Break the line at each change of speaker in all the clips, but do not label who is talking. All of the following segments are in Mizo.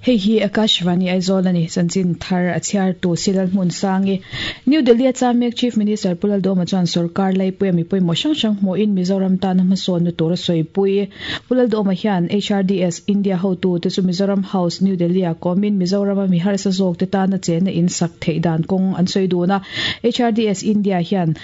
Hei hi Akashvani Aizawl a ni, chanchin thar a chhiartu Silal Hmunsangi. New Delhi a cham mek Chief Minister Pu Laldawma chuan sorkar laipuia mi pawimawh hrang hrang hmuhin Mizoram tana hmasawnna tur a sawipui. Pu Laldawma hian HRDS India hotute chu Mizoram House, New Delhi ah kawmin Mizorama mi harsa zawkte tana chenna in sak theih dan kawng an sawi dun a. HRDS India hian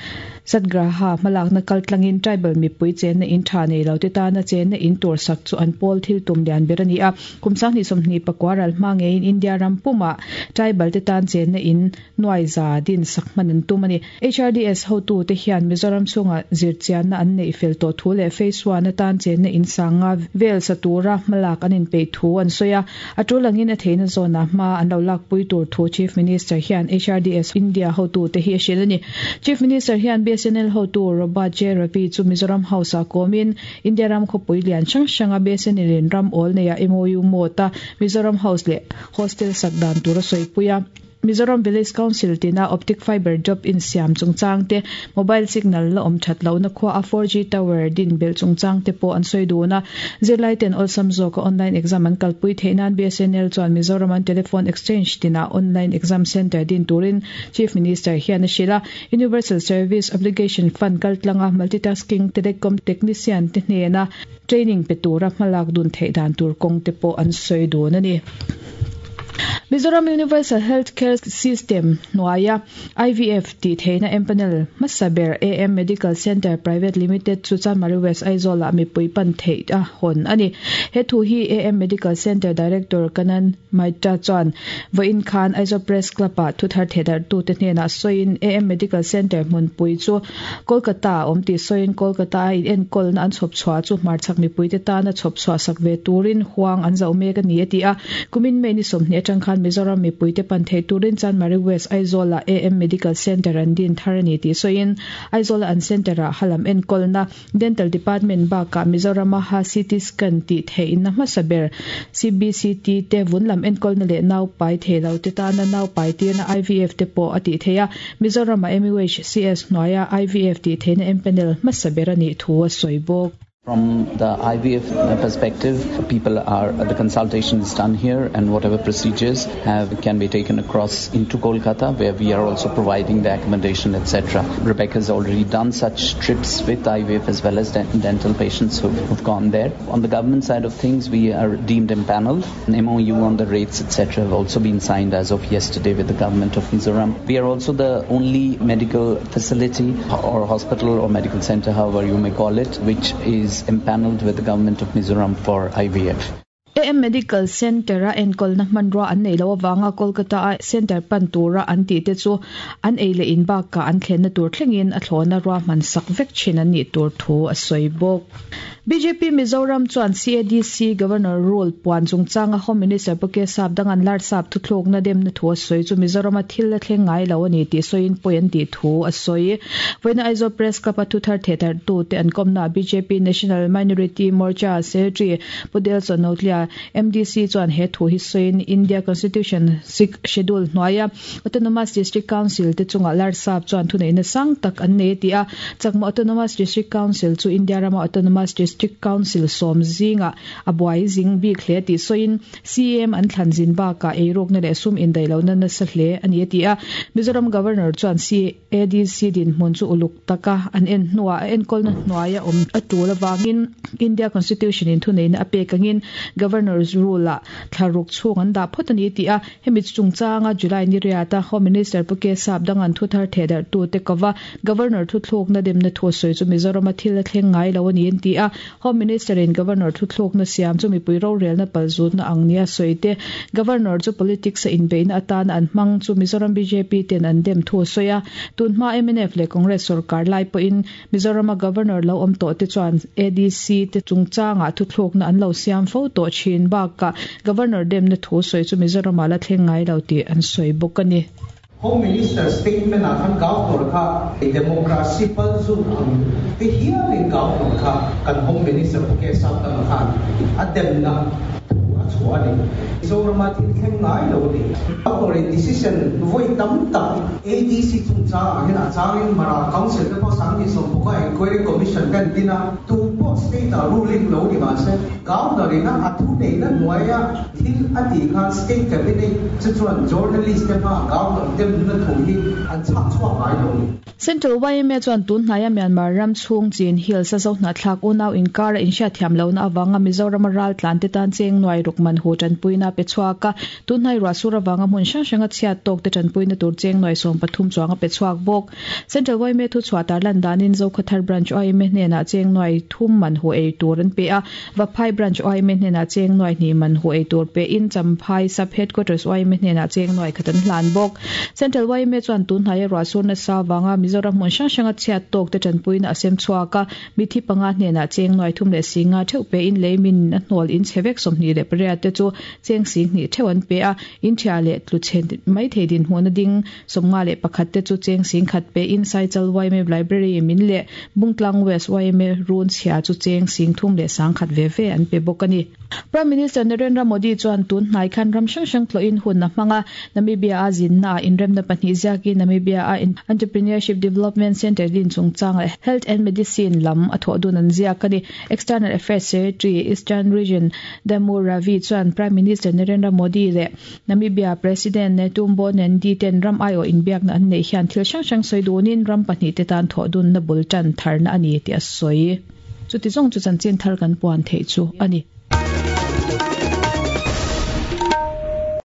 Satgraha hmalakna kaltlangin tribal mipui chenna in tha nei lote tana chenna in tur sak chu an pawl thil tum lian ber a ni a. Kum 2024 ral hma ngeiin India ram pumah tribal te tan chenna in nuai za din sak hman an tum a ni. HRDS hotute hian Mizoram chhunga zirchianna an neih fel tawh thu leh Phase One atan chenna in sanga vel sa tura hmalak an inpeih thu an sawi a. A tul angin a theihna zawnah hma an lo lakpui tur thu Chief Minister hian HRDS India hotute hi a hrilh a ni. Chief Minister hian BSNL hotu Robert J Ravi chu Mizoram House-ah kawmin India ram khawpui lian hrang hranga BSNL in ram awl neia MOU mawt a Mizoram House leh Hostel sak dan tur a sawipui a. Mizoram Village Council tina Optic Fibre Drop insiam chungchang te, Mobile Signal la awm that lohna khua a 4G Tower din belh chungchang te pawh an sawi dun a. Zirlai ten awlsam zawka online exam an kalpui theih nan BSNL chuan Mizoram an Telephone Exchange tinah online exam centre din turin Chief Minister hian a hrilh a. Universal Service Obligation Fund kaltlanga Multitasking Telecom Technician te hnena training pe tura hmalak dun theih dan tur kawng te pawh an sawi dun a ni. Mizoram Universal Health Care System hnuaia IVF tih theihna empanel hmasa ber AM Medical Centre Private Limited chu Chanmari West Aizawl-ah mipui pan theih a hawn a ni. He thu hi AM Medical Centre Director Kanan Maitra chuan vawiin khan Aizawl Press Club-ah thuthar thehdarhtute hnenah sawiin AM Medical Centre hmunpui chu Kolkata a awm tih sawiin Kolkata a inenkawlna an chhawp chhuah chu hmarchhak mipuite tana chhawp chhuah sak ve turin huang an zauh mek a ni a ti a. Kumin May ni 20 atang khan Mizoram mipuite pan theih turin Chanmari West Aizawl-ah AM Medical Centre an din thar a ni tih sawiin Aizawl-a an centre-ah halam enkawlna Dental Department bakah Mizorama ha CT Scan tih theihna hmasa ber CBCT te vun lam enkawlna leh nau pai thei lo te tana nau pai tirna IVF te pawh a tih theih a, Mizorama MUHCS hnuaia IVF tih theihna empanel hmasa ber a nih thu a sawi bawk.
From the IVF perspective, people are the consultation is done here and whatever procedures have can be taken across into Kolkata where we are also providing the accommodation etc. Rebecca has already done such trips with IVF as well as dental patients who've, who've gone there. On the government side of things, we are deemed empaneled. An MOU on the rates etc. have also been signed as of yesterday with the government of Mizoram. We are also the only medical facility or hospital or medical center, however you may call it, which is empaneled with the government of Mizoram for IVF.
AM Medical Centre-a enkawlna hmanrua an neih loh avanga Kolkata-a centre pan tura an tih te chu an ei leh in bakah an thlenna tur thlengin a thlawhna ruahman sak vek thin an nih tur thu a sawi bawk. Bjp Mizoram chuan CADC Governor Rule puan chungchanga Home Minister Pu K Sapdanga'n Larsap thuthlukna demna thu a sawi chu Mizorama thil a thleng ngai lo a ni tih sawiin pawi an tih thu a sawi. Vawiina Aizawl Press Club-a thuthar thehdarhtute an kawmnaah bjp National Minority Morcha Secretary Pu Delson Notlia, MDC chuan he thu hi sawiin India Constitution Sixth Schedule hnuaia Autonomous District Council te chungah Larsap chuan thuneihna sang tak an nei a ti a. Chakma Autonomous District Council chu India rama Autonomous District Council sawm zingah a buai zing bik hle tih sawiin CM an thlan zin bakah eirukna leh sum indaihlohna nasa hle a ni a ti a. Mizoram Governor chuan CADC dinhmun chu uluk taka an en hnuah a enkawlna hnuaia awm a tul avangin India Constitution in thuneihna a pek angin Governor's Rule ah thlaruk chhung an dah phawt a ni tih a, hemi chungchanga July ni riata Home Minister Pu K Sapdanga'n thuthar thehdarhtute kova Governor thuthlukna demna thu a sawi chu Mizorama thil a thleng ngai lo a ni an ti a, Home Minister in Governor thuthlukna siam chu mipui rorelna palzutna ang nia sawi te, Governor chu politics a inbeihna atana an hmang chu Mizoram bjp ten an dem thu a sawi a. Tun hma mnf leh Congress sorkar lai pawhin Mizorama Governor lo awm tawh te chuan ADC te chungchangah thuthlukna an lo siam fo tawh thin bakah Governor demna thu sawi chu Mizoramah la thleng ngai lo tih an sawi bawk a ni.
Home Minister statement ah khan Governor kha democracy palzut ang te hialin Governor kha kan Home Minister Pu K Sapdanga khan a demna thu a chhuah a ni. Mizorama thil thleng ngai lo a ni. Governor in decision vawi tam tak ADC chungchangah hian a changin Mara Council te pawh 2016 a Inquiry Commission te an din a, tu. pawh state ah ruling lo ni mah se, Governor ina a thuneihna hnuaia thil a tih khan state cabinet chu chuan journalist te hmaah Governor demna thu hi an chhak chhuak ngai lo ni.
Central yma chuan tun hnaia Myanmar ram chhung Chin Hills a Zohnahthlak unau inkara inhriatthiam lohna avanga Mizorama ral tlan te tan cheng nuai ruk man hu tanpuina a pe chhuak a, tun hnai ruahsur avanga hmun hrang hranga chhiat tawk te tanpuina tur cheng nuai 13 chuang a pe chhuak bawk. Central yma thuchhuah tarlan danin Zokhathar Branch yma hnenah cheng nuai thum man hu ei tur an pe a, Vaphai Branch yma hnenah cheng nuai hnih man hu ei tur pein Champhai Sub Headquarters yma hnenah cheng nuai khat an hlan bawk. Central yma chuan tun hnaia ruahsur nasa avanga Mizoram hmun hrang hranga chhiat tawk te tanpuina a sem chhuak a, mithi panga hnenah cheng nuai thum leh si nga theuh pein lei min a hnawl in chhe vek 28 te chu cheng si hnih theuh an pe a, in thia leh tlu chhe mai thei dinhmun a ding 51 te chu cheng sing khat pein Saichal yma Library min leh Bungtlang West yma run chhia chu cheng sing thum leh sang khat ve ve an pe bawk a ni. Prime Minister Narendra Modi chuan tun hnai khan ram hrang hrang tlawhin hun a hmang a, Namibia a zinna ah inremna pahnih ziakin Namibia a Entrepreneurship Development Centre din chungchang leh Health and Medicine lam a thawh dun an ziak a ni. External Affairs Secretary, Eastern Region, Damu Ravi chuan Prime Minister Narendra Modi leh Namibia President Netumbo Nandi ten ram aiawh inbiakna an neih hian thil hrang hrang sawi dunin ram pahnih te tan thawh dunna bul tan tharna a ni tih a sawi. Chuti zawng chu chanchin thar kan puan theih chu a ni.